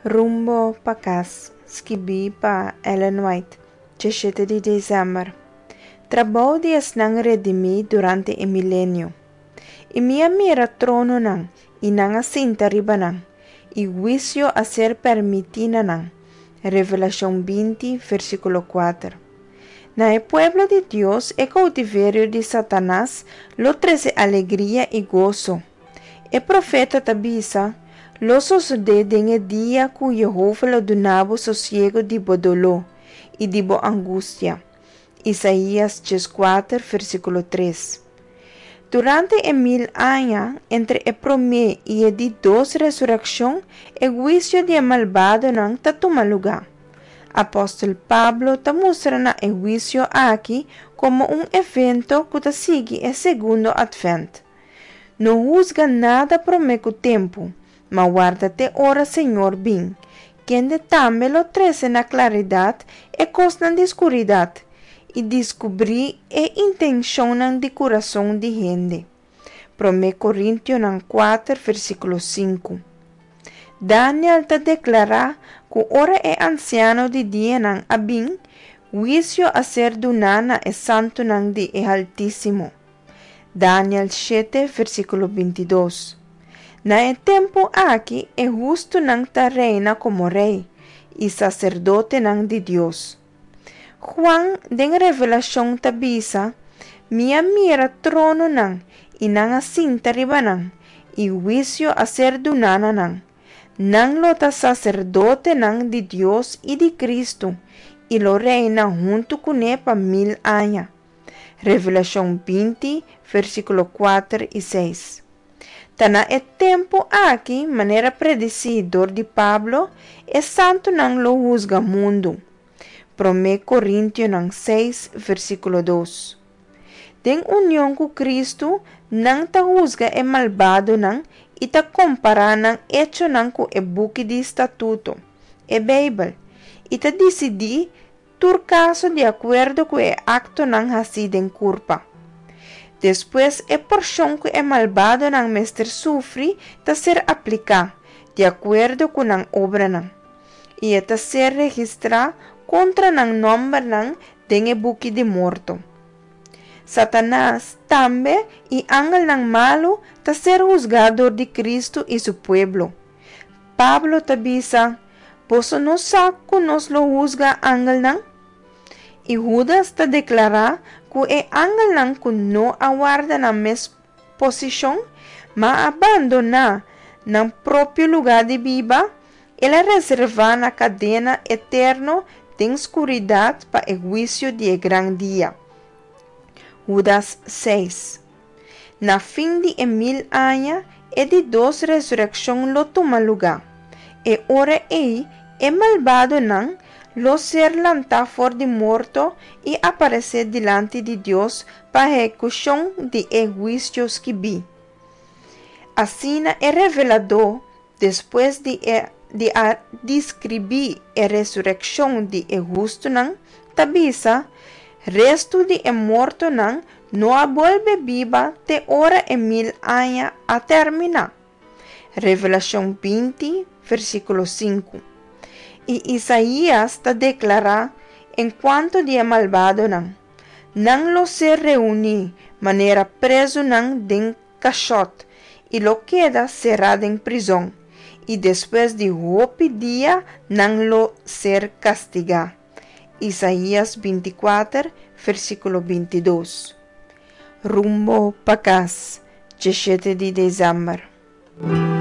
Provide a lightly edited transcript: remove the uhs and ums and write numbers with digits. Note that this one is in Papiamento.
Rumbo pa kas, skibí pa Ellen White, 17 di desèmber. Trabou di esnan redimí durante e milenio. I mi a mira trononan, i nan a sinta riba nan, i huisio a ser permití na nan. Revelashon 20, versíkulo 4. Na e pueblo di Dios e koutiverio di Satanas lo trese alegria i goso. E profeta ta bisa, Lo sosodé den e dia ku Yehova lo duna bo sosiegu di bo doló i di bo angustia. Isaías 14, versíkulo 3. Durante e mil aña, entre e promé i e di dos resurekshon, e huisio di e malbadonan ta tuma lugá. Apòstel Pablo ta mustra na e huisio aki komo un evento ku ta sigui e segundo Atvènt. No husga nada promé ku tempu, ma warda te ora Señor bin, kende tambe lo trese na klaridat e kosnan di skuridat i diskubrí e intenshonnan di kurason di hende. Promé Korintionan 4, versíkulo 5. Daniel ta deklará ku ora e Ansiano di Dianan a bin, huisio a ser duná na e santunan di e Haltísimo. Daniel 7, versíkulo 22. Na e tempu aki e hustunan ta reina komo rei i saserdotenan di Dios. Juan den Revelashon ta bisa, Mi a mira trononan, i nan a sinta riba nan, i huisio a ser duná na nan. Nan lo ta saserdotenan di Dios i di Kristu, i lo reina huntu kuné pa mil aña. Revelashon 20, versíkulo 4 i 6. Ta na e tempu aki, manera predisí dor di Pablo, e santunan lo husga mundu. Promé Korintionan 6, versíkulo 2. Den union ku Kristu, nan ta husga e malbadonan i ta kompará nan echonan ku e buki di statuto, e Beibel, i ta disidí tur kaso di akuerdo ku e aktonan hasí den kurpa. Despues e porshon ku e malbadonan mester sufri ta ser apliká, di akuerdo ku nan obranan, i e ta ser registrá kontra nan nòmbernan den e buki di morto. Satanas, tambe, i angelnan malu ta ser husgá dor di Kristu i su pueblo. Pablo ta bisa, Boso no sa ku nos lo husga angelnan? I Hudas ta deklará ku e angelnan ku no a warda nan mes posishon, ma a bandoná nan propio lugá di biba, el a reservá na kadena eterno den skuridat pa e huisio di e gran dia. Hudas 6. Na fin di e mil aña, e di dos resurekshon lo tuma lugá. E ora ei, e malbadonan lo ser lantá for di morto i aparesé dilanti di Dios pa ehekushon di e huisio skibí. Asina e Reveladó, despues di e di a deskribí e resurekshon di e hustunan, ta bisa, Restu di e mortonan no a bolbe biba te ora e mil aña a terminá. Revelashon 20, versíkulo 5. I Isaías ta deklará enkuanto di e malbadonan, Nan lo ser reuní manera prezunan den kashòt i lo keda será den prizòn, i despues di hopi dia nan lo ser kastigá. Isaías 24, versíkulo 22. Rumbo pa kas, 17 di desèmber.